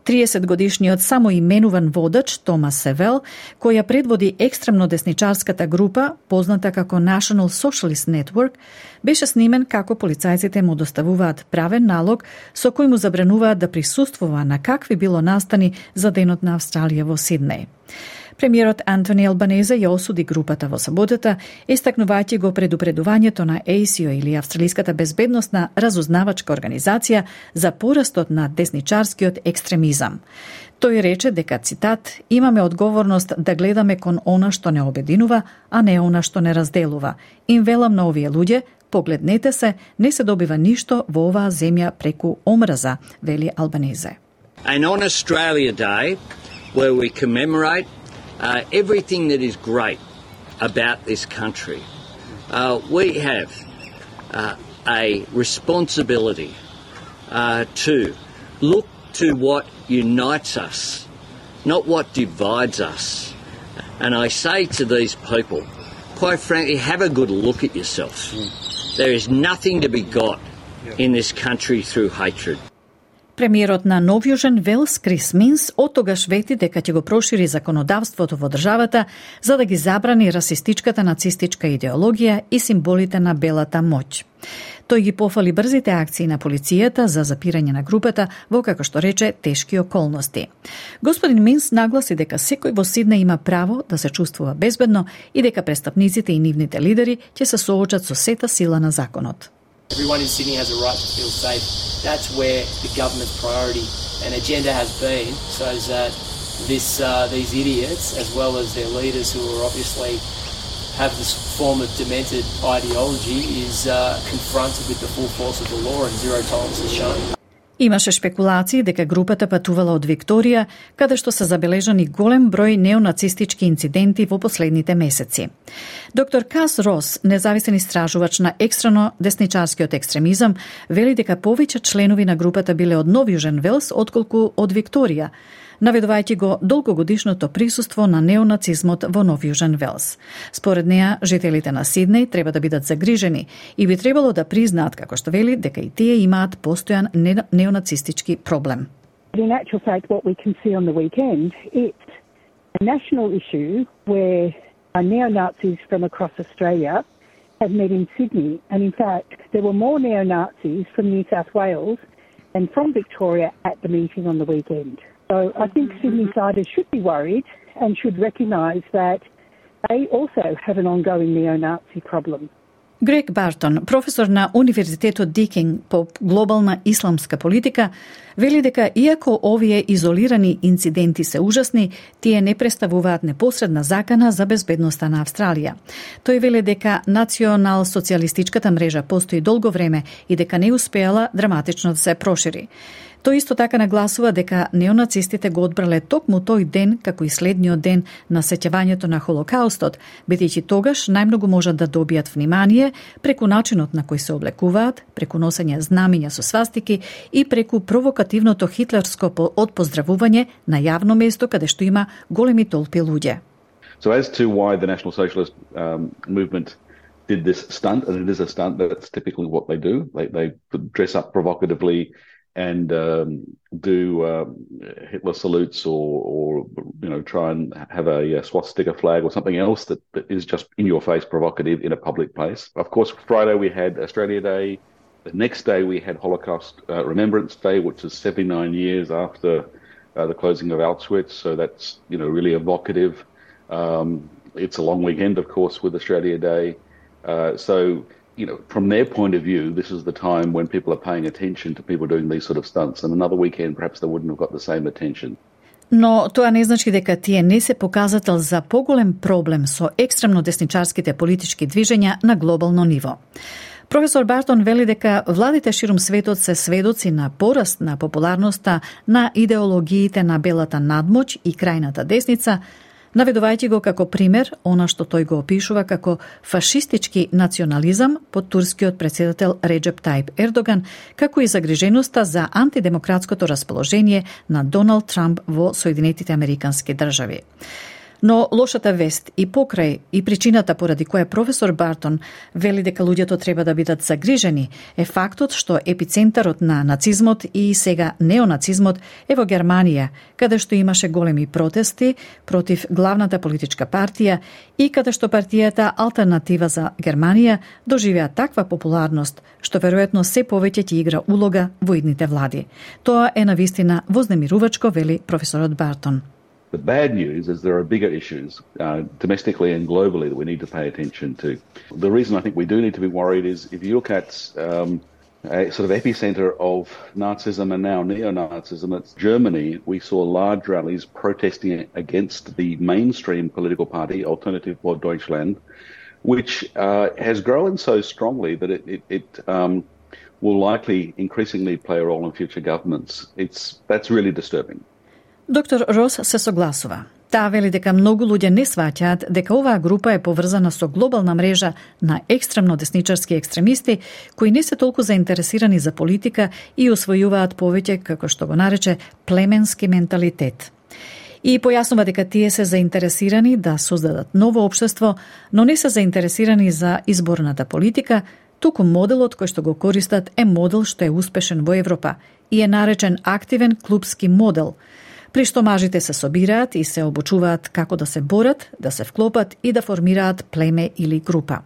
C: триесет годишниот самоименуван водач Томас Севел, која предводи екстремно десничарската група, позната како National Socialist Network, беше снимен како полицајците му доставуваат правен налог со кој му забрануваат да присуствува на какви било настани за Денот на Австралија во Сиднеј. Премиерот Антони Албанезе ја осуди групата во саботата, истакнувајќи го предупредувањето на ей си о или Австралиската безбедносна разузнавачка организација за порастот на десничарскиот екстремизам. Тој рече дека, цитат, имаме одговорност да гледаме кон она што не обединува, а не она што не разделува. Им велам на овие луѓе, погледнете се, не се добива ништо во оваа земја преку омраза, вели Албанезе.
R: And on Australia Day, where we commemorate Uh, everything that is great about this country, uh, we have uh, a responsibility uh, to look to what unites us, not what divides us. And I say to these people, quite frankly, have a good look at yourself. There is nothing to be got in this country through hatred.
C: Премиерот на Нов Јужен Велс, Крис Минс, оттогаш вети дека ќе го прошири законодавството во државата за да ги забрани расистичката нацистичка идеологија и символите на белата моќ. Тој ги пофали брзите акции на полицијата за запирање на групата во, како што рече, тешки околности. Господин Минс нагласи дека секој во Сиднеј има право да се чувствува безбедно и дека престапниците и нивните лидери ќе се соочат со сета сила на законот.
S: Everyone in Sydney has a right to feel safe. That's where the government's priority and agenda has been, so that this, uh, these idiots, as well as their leaders who are obviously have this form of demented ideology, is uh, confronted with the full force of the law and zero tolerance is shown.
C: Имаше шпекулации дека групата патувала од Викторија, каде што се забележани голем број неонацистички инциденти во последните месеци. Доктор Кас Рос, независен истражувач на екстрено десничарскиот екстремизам, вели дека повеќе членови на групата биле од Нов Јужен Велс отколку од Викторија, наведувајќи го долгогодишното присуство на неонацизмот во Нов Јужен Велс. Според неа, жителите на Сиднеј треба да бидат загрижени и би требало да признаат, како што вели, дека и тие имаат постојан неонацистички проблем.
T: In actual fact, what we can see on the weekend, it's a national issue where neo-Nazis from across Australia have met in Sydney, and in fact, there were more neo-Nazis from New South Wales than from Victoria at the meeting on the weekend. So I think Sydney-siders should be worried and should recognise that they also have an ongoing neo-Nazi problem.
C: Грег Бартон, професор на Универзитетот Дикинг по глобална исламска политика, вели дека иако овие изолирани инциденти се ужасни, тие не представуваат непосредна закана за безбедноста на Австралија. Тој вели дека национал-социјалистичката мрежа постои долго време и дека не успеала драматично да се прошири. Тој исто така нагласува дека неонацистите го одбрале токму тој ден како и следниот ден на сеќавањето на Холокаустот, бидејќи тогаш најмногу можат да добијат внимание преку начинот на кој се облекуваат, преку носење знамиња со свастики и преку провокативното хитлерско отпоздравување на јавно место каде што има големи толпи луѓе.
U: So as to why the National Socialist um, movement did this stunt, and it is a stunt, that's typically what they do. They, they dress up provocatively and um, do uh, Hitler salutes or, or you know try and have a, a swastika flag or something else that, that is just in your face provocative in a public place. Of course, Friday we had Australia Day. The next day we had Holocaust uh, Remembrance Day, which is seventy-nine years after uh, the closing of Auschwitz. So that's you know really evocative. Um, it's a long weekend, of course, with Australia Day. Uh, so. You know, from their point of view, this is the time when people are paying attention to people doing these sort of stunts. And another weekend, perhaps they wouldn't have got the same attention.
C: Но тоа не значи дека тие не се показател за поголем проблем со екстремно десничарските политички движења на глобално ниво. Професор Бартон вели дека владите ширум светот се сведоци на пораст на популарноста на идеологиите на белата надмоќ и крајната десница, наведувајќи го како пример она што тој го опишува како фашистички национализам под турскиот претседател Реджеп Тајип Ердоган, како и загриженоста за антидемократското расположение на Доналд Трамп во Соединетите Американски држави. Но лошата вест и покрај и причината поради која професор Бартон вели дека луѓето треба да бидат загрижени е фактот што епицентарот на нацизмот и сега неонацизмот е во Германија, каде што имаше големи протести против главната политичка партија и каде што партијата Алтернатива за Германија доживеа таква популарност што веројатно се повеќе ќе игра улога во идните влади. Тоа е навистина вознемирувачко, вели професорот Бартон.
U: The bad news is there are bigger issues uh, domestically and globally that we need to pay attention to. The reason I think we do need to be worried is if you look at um, a sort of epicenter of Nazism and now neo-Nazism, it's Germany. We saw large rallies protesting against the mainstream political party, Alternative for Deutschland, which uh, has grown so strongly that it, it, it um, will likely increasingly play a role in future governments. It's, that's really disturbing.
C: Доктор Рос се согласува. Таа вели дека многу луѓе не сваќаат дека оваа група е поврзана со глобална мрежа на екстремно десничарски екстремисти кои не се толку заинтересирани за политика и усвојуваат повеќе, како што го нарече, племенски менталитет. И појаснува дека тие се заинтересирани да создадат ново општество, но не се заинтересирани за изборната политика, туку моделот кој што го користат е модел што е успешен во Европа и е наречен активен клубски модел, при што мажите се собираат и се обучуваат како да се борат, да се вклопат и да формираат племе или група.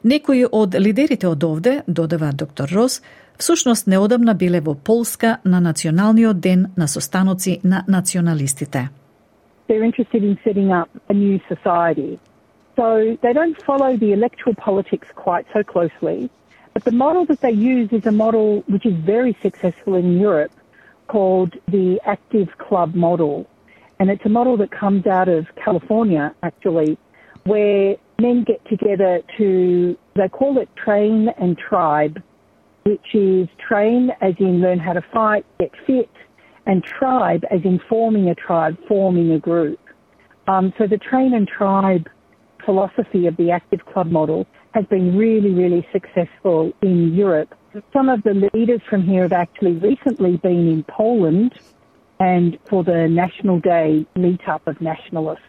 C: Некои од лидерите од овде, додава доктор Рос, всушност неодамна биле во Полска на националниот ден на состаноци на националистите.
T: They're interested in setting up a new society. So they don't follow the electoral politics quite so closely, but the model that they use is a model which is very successful in Europe, called the active club model. And it's a model that comes out of California, actually, where men get together to, they call it train and tribe, which is train as in learn how to fight, get fit, and tribe as in forming a tribe, forming a group. Um, so the train and tribe philosophy of the active club model has been really, really successful in Europe. Some of the leaders from here have actually recently been in Poland and for the National Day meetup of nationalists.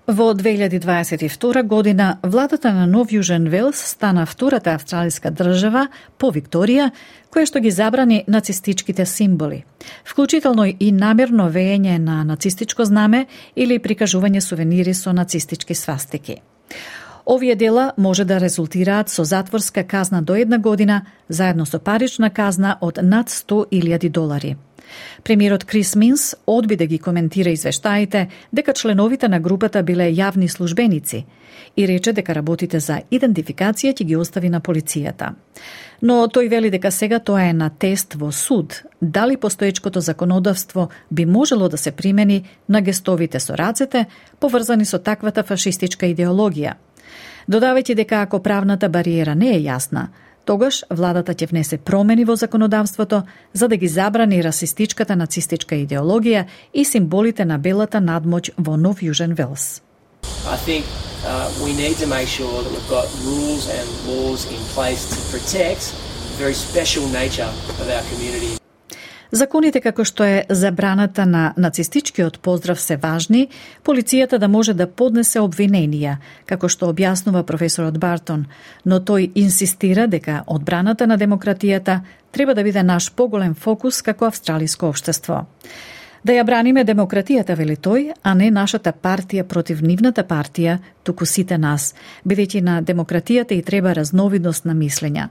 C: Во две илјади дваесет и втора година, владата на Нов Јужен Велс стана втората австралиска држава по Викторија, која што ги забрани нацистичките символи, вклучително и намерно веење на нацистичко знаме или прикажување сувенири со нацистички свастики. Овие дела може да резултираат со затворска казна до една година, заедно со парична казна од над сто илјади долари. Премиерот Крис Минс одби да ги коментира извештаите дека членовите на групата биле јавни службеници и рече дека работите за идентификација ќе ги остави на полицијата. Но тој вели дека сега тоа е на тест во суд, дали постоечкото законодавство би можело да се примени на гестовите со рацете поврзани со таквата фашистичка идеологија. Додавајќи дека ако правната бариера не е јасна, тогаш владата ќе внесе промени во законодавството за да ги забрани расистичката нацистичка идеологија и символите на белата надмоќ во Нов Јужен Велс.
S: I think uh, we need to make sure that we've got rules and laws in place to protect the very special nature of our community.
C: Законите како што е забраната на нацистичкиот поздрав се важни, полицијата да може да поднесе обвиненија, како што објаснува професорот Бартон, но тој инсистира дека одбраната на демократијата треба да биде наш поголем фокус како австралиско општество. Да ја браниме демократијата, вели тој, а не нашата партија против нивната партија, туку сите нас, бидејќи на демократијата и треба разновидност на мислења.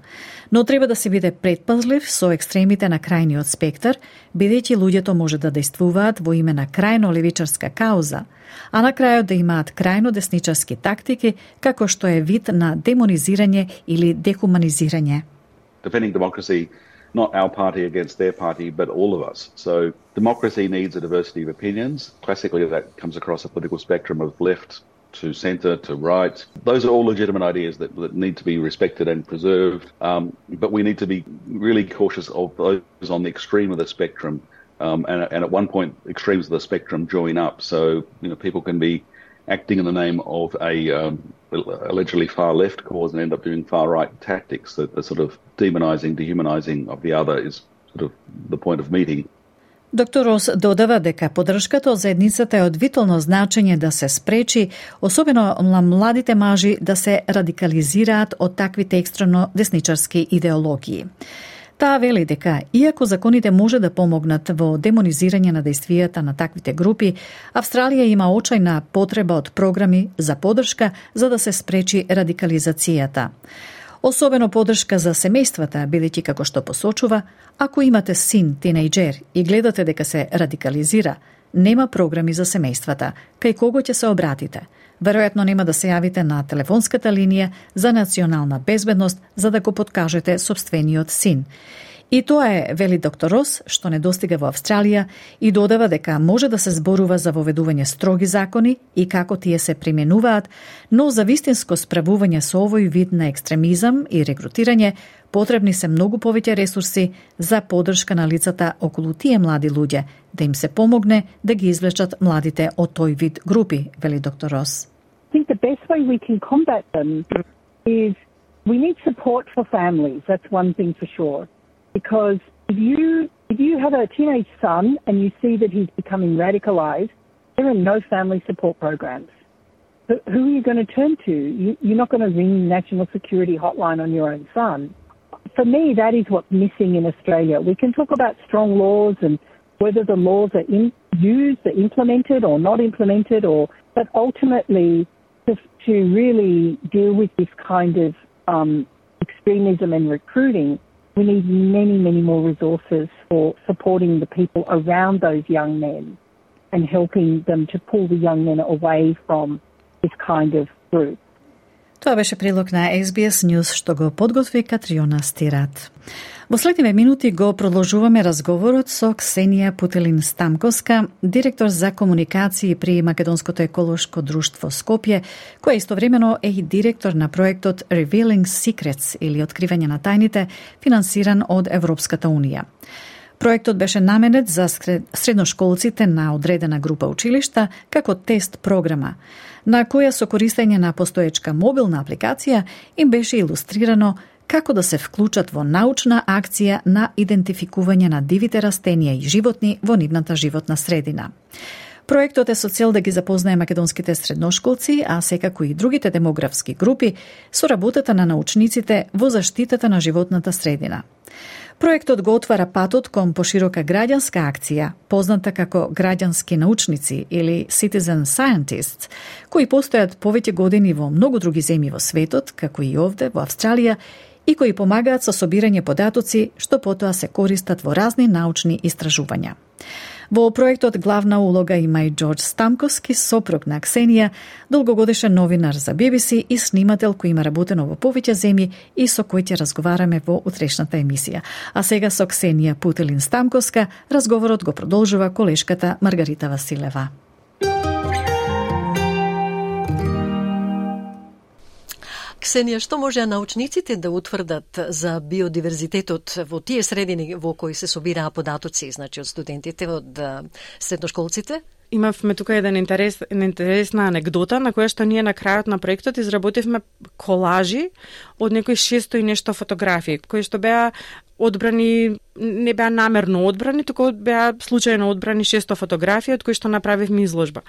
C: Но треба да се биде предпазлив со екстремите на крајниот спектар, бидејќи луѓето може да действуваат во име на крајно левичарска кауза, а на крајот да имаат крајно десничарски тактики, како што е вид на демонизирање или дехуманизирање.
U: Defending democracy, not our party against their party, but all of us. So democracy needs a diversity of opinions. Classically, that comes across a political spectrum of left to centre to right. Those are all legitimate ideas that, that need to be respected and preserved. Um, but we need to be really cautious of those on the extreme of the spectrum. Um, and, and at one point, extremes of the spectrum join up. So, you know, people can be acting in the name of a um, allegedly far left cause and end up doing far right tactics. The, the sort of demonizing, dehumanizing of the other is sort of the point of meeting.
C: Доктор Рос додава дека поддршката од заедницата е од витално значење да се спречи, особено на младите мажи, да се радикализираат од таквите екстремно десничарски идеологии. Таа вели дека, иако законите може да помогнат во демонизирање на действијата на таквите групи, Австралија има очајна потреба од програми за поддршка за да се спречи радикализацијата. Особено поддршка за семејствата, бидејќи како што посочува, ако имате син, тинејџер и гледате дека се радикализира, нема програми за семејствата, кај кого ќе се обратите. Веројатно нема да се јавите на телефонската линија за национална безбедност за да го подкажете собствениот син. И тоа е, вели доктор Рос, што недостига во Австралија и додава дека може да се зборува за воведување строги закони и како тие се применуваат, но за вистинско справување со овој вид на екстремизам и рекрутирање потребни се многу повеќе ресурси за поддршка на лицата околу тие млади луѓе, да им се помогне да ги извлечат младите од тој вид групи, вели доктор Рос.
T: I think the best way we can combat them is we need support for families. That's one thing for sure. Because if you if you have a teenage son and you see that he's becoming radicalized, there are no family support programs. But who are you going to turn to? You, you're not going to ring National Security Hotline on your own son. For me, that is what's missing in Australia. We can talk about strong laws and whether the laws are in, used, are implemented or not implemented, or but ultimately to, to really deal with this kind of um, extremism and recruiting, we need many, many more resources for supporting the people around those young men and helping them to pull the young men away from this kind of group.
C: Тоа беше прилог на Ес Би Ес News што го подготви Катриона Стират. Во следниве минути го продолжуваме разговорот со Ксенија Путелин-Стамковска, директор за комуникации при Македонското еколошко друштво Скопје, која истовремено е и директор на проектот Revealing Secrets или Откривање на тајните, финансиран од Европската Унија. Проектот беше наменет за средношколците на одредена група училишта како тест програма, на која со користење на постоечка мобилна апликација им беше илустрирано како да се вклучат во научна акција на идентификување на дивите растенија и животни во нивната животна средина. Проектот е со цел да ги запознае македонските средношколци, а секако и другите демографски групи, со работата на научниците во заштитата на животната средина. Проектот го отвара патот кон поширока граѓанска акција, позната како граѓански научници или citizen scientists, кои постојат повеќе години во многу други земји во светот, како и овде во Австралија, и кои помагаат со собирање податоци, што потоа се користат во разни научни истражувања. Во проектот главна улога има и Џорџ Стамковски, сопруг на Ксенија, долгогодишен новинар за Би Би Си и снимател кој има работено во повеќе земји и со кој ќе разговараме во утрешната емисија. А сега со Ксенија Путелин-Стамковска разговорот го продолжува колешката Маргарита Василева.
D: Ксенија, што може научниците да утврдат за биодиверзитетот во тие средини во кои се собираа податоци, значи од студентите, од средношколците?
B: Имавме тука еден интерес, една интересна анегдота на која што ние на крајот на проектот изработивме колажи од некои шесто и нешто фотографии, кои што беа одбрани, не беа намерно одбрани, туку беа случајно одбрани шесто фотографии од кои што направивме изложба.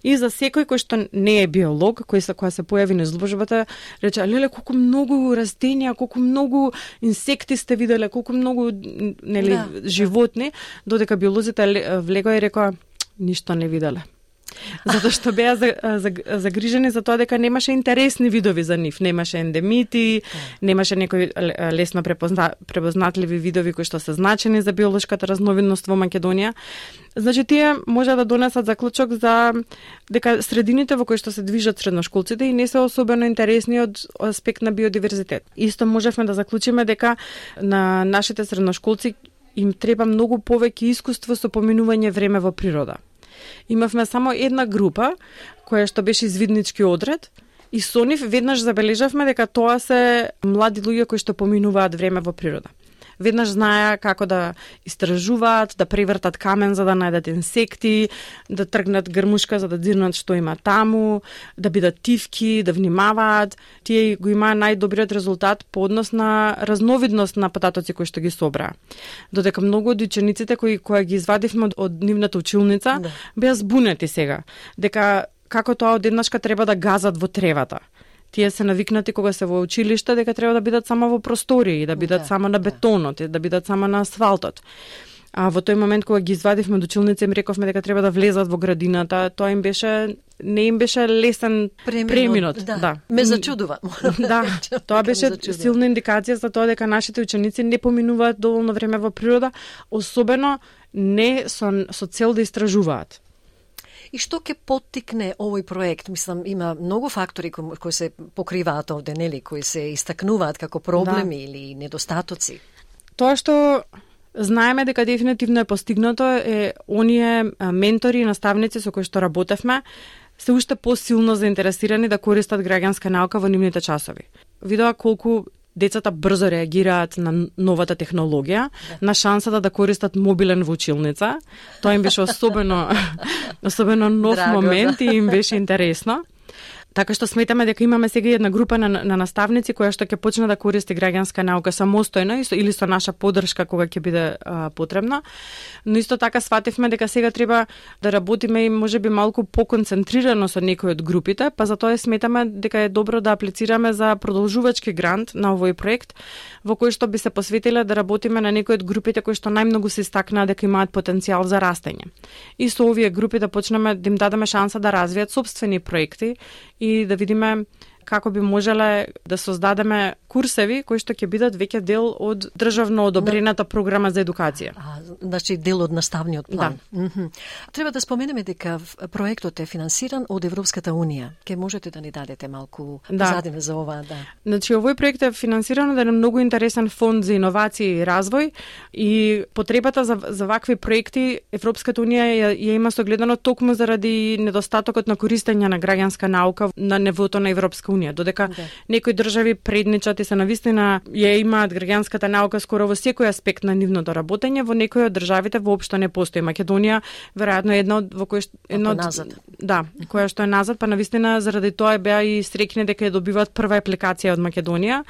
B: И за секој кој што не е биолог, кој се која се појави на изложбата, рече: "Леле, колку многу растенија, колку многу инсекти сте виделе, колку многу нели да, животни", додека биолозите влегоа и рекоа: "Ништо не виделе." Затоа што беа загрижени за тоа дека немаше интересни видови за нив, немаше ендемити, немаше некои лесно препозна, препознатливи видови кои што се значени за биолошката разновидност во Македонија. Значи тие може да донесат заклучок за дека средините во кои што се движат средношколците и не се особено интересни од аспект на биодиверзитет. Исто можевме да заклучиме дека на нашите средношколци им треба многу повеќе искуство со поминување време во природа. Имавме само една група која што беше извиднички одред и со нив веднаш забележавме дека тоа се млади луѓе кои што поминуваат време во природа. Веднаш знаеа како да истражуваат, да превртат камен за да најдат инсекти, да тргнат грмушка за да дзирнат што има таму, да бидат тивки, да внимаваат. Тие го имаа најдобриот резултат по однос на разновидност на потатоци кои што ги собраа. Додека многу од учениците кои кои ги извадивме од, од нивната училница, да, беа збунети сега, дека како тоа одеднашка треба да газат во тревата. Тие се навикнати кога се во училиште дека треба да бидат само во простории, да бидат да, само на бетонот, да бидат само на асфалтот. А во тој момент кога ги извадивме од училница им рековме дека треба да влезат во градината, тоа им беше не им беше лесен преминот. преминот
D: да.
B: да.
D: Ме зачудува.
B: Да, тоа беше силна индикација за тоа дека нашите ученици не поминуваат доволно време во природа, особено не со, со цел да истражуваат.
D: И што ќе поттикне овој проект? Мислам, има многу фактори кои, кои се покриваат овде, нели, кои се истакнуваат како проблеми да, или недостатоци.
B: Тоа што знаеме дека дефинитивно е постигнато е оние ментори и наставници со кои што работевме се уште посилно заинтересирани да користат граѓанска наука во нивните часови. Видоа колку децата брзо реагираат на новата технологија, да, на шансата да користат мобилен во училница. Тоа им беше особено особено нов Драго, момент да, и им беше интересно. Така што сметаме дека имаме сега една група на, на наставници која што ќе почне да користи граѓанска наука самостојно или со наша поддршка кога ќе биде а, потребна. Но исто така свативме дека сега треба да работиме и можеби малку поконцентрирано со некои од групите, па затоа сметаме дека е добро да аплицираме за продолжувачки грант на овој проект во кој што би се посветиле да работиме на некои од групите кои што најмногу се истакнаа дека имаат потенцијал за растење. И со овие групи да почнеме да им дадеме шанса да развијат сопствени проекти и да видиме како би можеле да создадеме курсеви кои што ќе бидат веќе дел од државно одобрената програма за едукација.
D: А, значи дел од наставниот план.
B: Да.
D: Mm-hmm. Треба да споменеме дека проектот е финансиран од Европската унија. Ке можете да ни дадете малку
B: да,
D: позадина за ова, да.
B: Значи овој проект е финансиран од еден многу интересен фонд за иновации и развој и потребата за за вакви проекти Европската унија ја, ја има согледано токму заради недостатокот на користење на граѓанска наука на нивото на Европска унија, додека да, некои држави предничат и се навистина ја имаат граѓанската наука скоро во секој аспект на нивното работење, во некои од државите воопшто не постои. Македонија веројатно е една од во кој едно од
D: назад.
B: Да, која што е назад, па навистина заради тоа беа и среќни дека ја добиваат прва апликација од Македонија,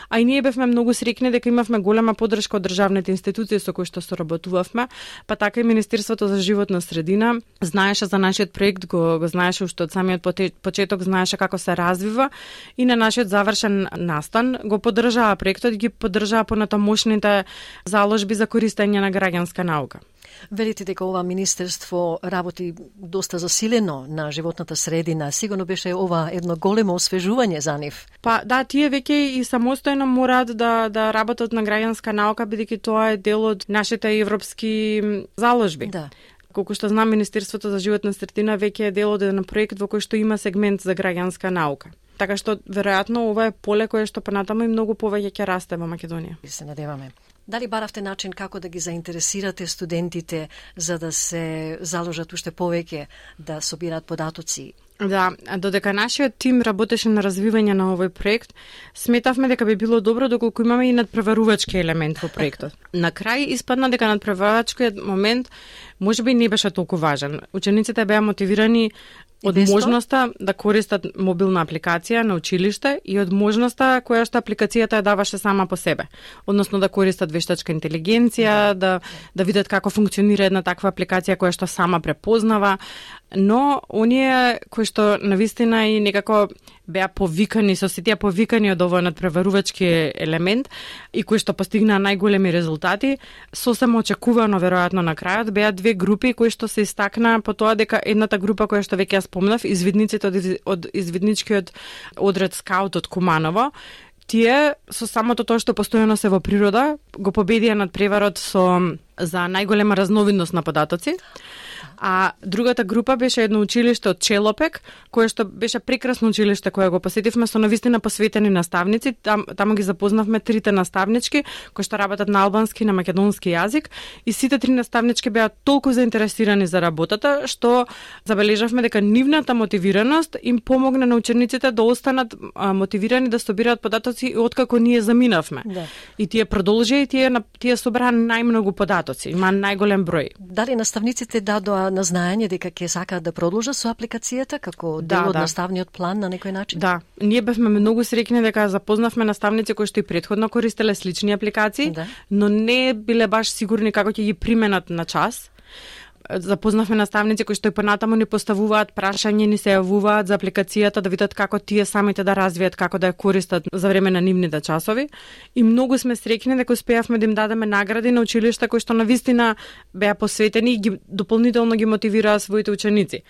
B: а и ние бевме многу среќни дека имавме голема поддршка од државните институции со кои што соработувавме, па така и Министерството за животна средина знаеше за нашиот проект, го, го знаеше уште од самиот почеток, знаеше како се развива и на нашиот завршен настан го поддржаа проектот и ги поддржаа понатамошните заложби за користење на граѓанска наука.
D: Велите дека ова министерство работи доста засилено на животната средина. Сигурно беше ова едно големо освежување за нив.
B: Па да, тие веќе и самостојно мораат да да работат на граѓанска наука бидејќи тоа е дел од нашите европски заложби.
D: Да.
B: Колку што знам, Министерството за животна средина веќе е дел од еден проект во кој што има сегмент за граѓанска наука. Така што веројатно ова е поле кое што понатаму и многу повеќе ќе расте во Македонија.
D: Се надеваме. Дали баравте начин како да ги заинтересирате студентите за да се заложат уште повеќе да собираат податоци?
B: Да, додека нашиот тим работеше на развивање на овој проект, сметавме дека би било добро доколку имаме и надпреварувачки елемент во проектот. На крај испадна дека надпреварувачкиот момент можеби не беше толку важен. Учениците беа мотивирани од можноста да користат мобилна апликација на училиште и од можноста која што апликацијата ја даваше сама по себе. Односно да користат вештачка интелигенција, да да видат како функционира една таква апликација која што сама препознава, но оние кои што навистина и некако беа повикани, со сите повикани од овој надпреварувачки елемент и кои што постигнаа најголеми резултати, сосема очекувано веројатно на крајот беа две групи кои што се истакнаа по тоа дека едната група која што веќе ја спомнав, извидниците од, од извидничкиот одред скаут од Куманово, тие со самото тоа што постојано се во природа го победија надпреварот со за најголема разновидност на податоци. А другата група беше едно училиште од Челопек, кое што беше прекрасно училиште кое го посетивме со навистина посветени наставници. Там, таму ги запознавме трите наставнички кои што работат на албански и на македонски јазик и сите три наставнички беа толку заинтересирани за работата што забележавме дека нивната мотивираност им помогна на учениците да останат а, мотивирани да собираат податоци откако ние заминавме. Да. И тие продолжија и тие тие собраа најмногу податоци, има најголем број.
D: Дали наставниците дадоа на знаење дека ќе сакаат да продолжат со апликацијата како дел
B: да,
D: од
B: да.
D: наставниот план на некој начин?
B: Да, ние бевме многу среќни дека запознавме наставници кои што и претходно користеле слични апликации, да. Но не биле баш сигурни како ќе ги применат на час. Запознавме наставници кои што и понатаму ни поставуваат прашања, ни се јавуваат за апликацијата да видат како тие самите да развијат, како да ја користат за време на нивните часови. И многу сме среќни дека успеавме да им дадеме награди на училишта кои што навистина беа посветени и ги дополнително ги мотивираа своите ученици.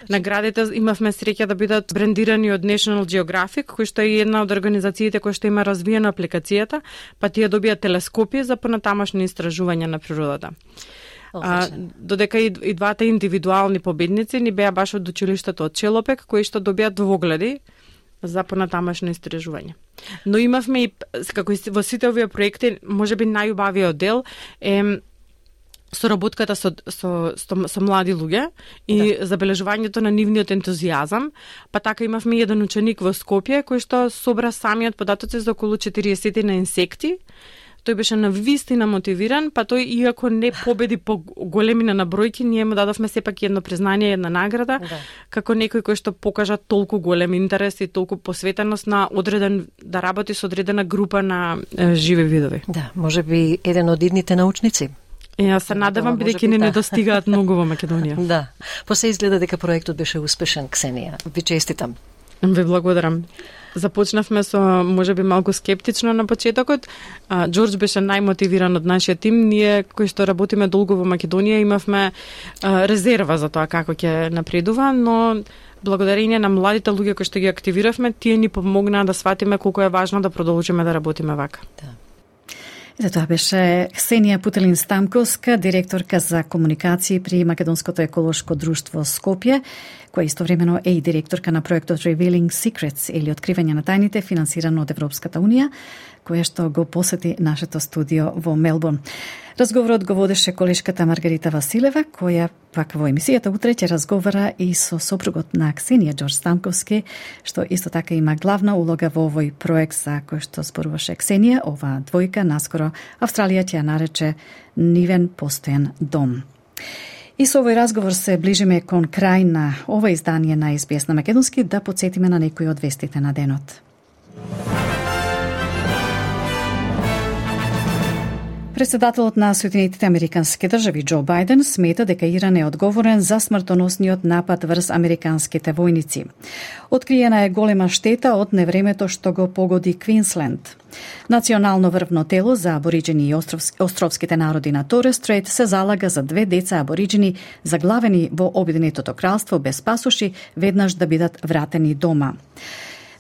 B: Наградите имавме среќа да бидат брендирани од National Geographic, кој што е една од организациите кои што има развиена апликацијата, па тие добија телескопи за понатамошни истражувања на природата. А, додека и, и двата индивидуални победници ни беа баш од училиштето од Челопек, кои што добијат двогледи за понатамошно истражување. Но имавме и, како и во сите овие проекти, можеби најубавиот дел е соработката со, со, со, со млади луѓе и да. Забележувањето на нивниот ентузијазам, па така имавме еден ученик во Скопје кој што собра самиот податоци за околу четириесет на инсекти. Тој беше навистина мотивиран, па тој иако не победи по големина на бројки, ние му дадовме сепак едно признание, една награда, да. Како некој кој што покажа толку голем интерес и толку посветеност на одреден да работи со одредена група на е, живи видови.
D: Да, можеби еден од идните научници.
B: Ја се надевам, бидејќи не недостигаат многу во Македонија.
D: Да. После изгледа дека проектот беше успешен, Ксенија. Ви честитам.
B: Ви благодарам. Започнавме со можеби малку скептично на почетокот. А, Џорџ беше најмотивиран од нашиот тим. Ние кои што работиме долго во Македонија имавме а, резерва за тоа како ќе напредува, но благодарение на младите луѓе кои што ги активиравме, тие ни помогнаа да сватиме колку е важно да продолжиме да работиме вака.
C: Да. За тоа беше Ксенија Путелин-Стамковска, директорка за комуникации при Македонското еколошко друштво Скопје, која истовремено е и директорка на проектот Revealing Secrets или Откривање на тајните, финансирано од Европската унија, која што го посети нашето студио во Мелбурн. Разговорот го водеше колешката Маргарита Василева, која пак во емисијата утре ќе разговара и со сопругот на Ксенија, Џорџ Стамковски, што исто така има главна улога во овој проект за кој што зборуваше Ксенија. Оваа двојка наскоро Австралија ќе ја нарече нивен постојан дом. И со овој разговор се ближиме кон крај на ова издание на Ес Би Ес на македонски, да подсетиме на некои од вестите на денот. Председателот на Соединетите Американски држави Џо Бајден смета дека Иран е одговорен за смртоносниот напад врз американските војници. Откриена е голема штета од невремето што го погоди Квинсленд. Национално врвно тело за абориджени и островските народи на Торес Стрейт се залага за две деца абориджени заглавени во Обединетото кралство без пасоши веднаш да бидат вратени дома.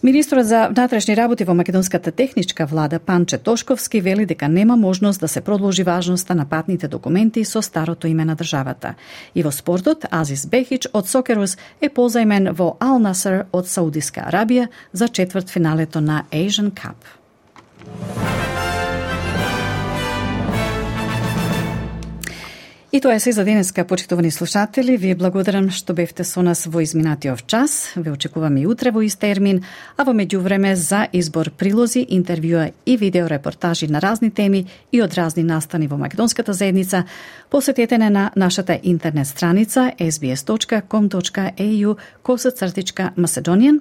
C: Министрот за внатрешни работи во македонската техничка влада Панче Тошковски вели дека нема можност да се продолжи важноста на патните документи со старото име на државата. И во спортот, Азис Бехич од Сокерус е позајмен во Ал Насер од Саудиска Арабија за четврт финалето на Asian Cup. И тоа е се за денеска, почитувани слушатели. Ви благодарам што бевте со нас во изминатиот час. Ве очекуваме и утре во ист термин, а во меѓувреме за избор прилози, интервјуа и видео репортажи на разни теми и од разни настани во македонската заедница, посетете не на нашата интернет страница ес би ес точка ком точка ей ю косацртичка Macedonian,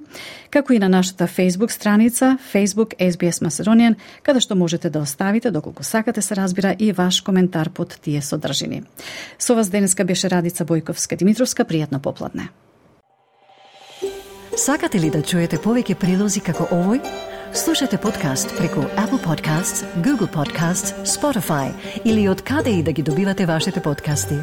C: како и на нашата Facebook страница Facebook ес би ес Macedonian, каде што можете да оставите, доколку сакате се разбира, и ваш коментар под тие содржини. Со вас денеска беше Радица Бојковска-Димитровска. Пријатно попладне.
D: Сакате ли да чуете повеќе прилози како овој? Слушате подкаст преку Apple Podcasts, Google Podcasts, Spotify или од каде и да ги добивате вашите подкасти.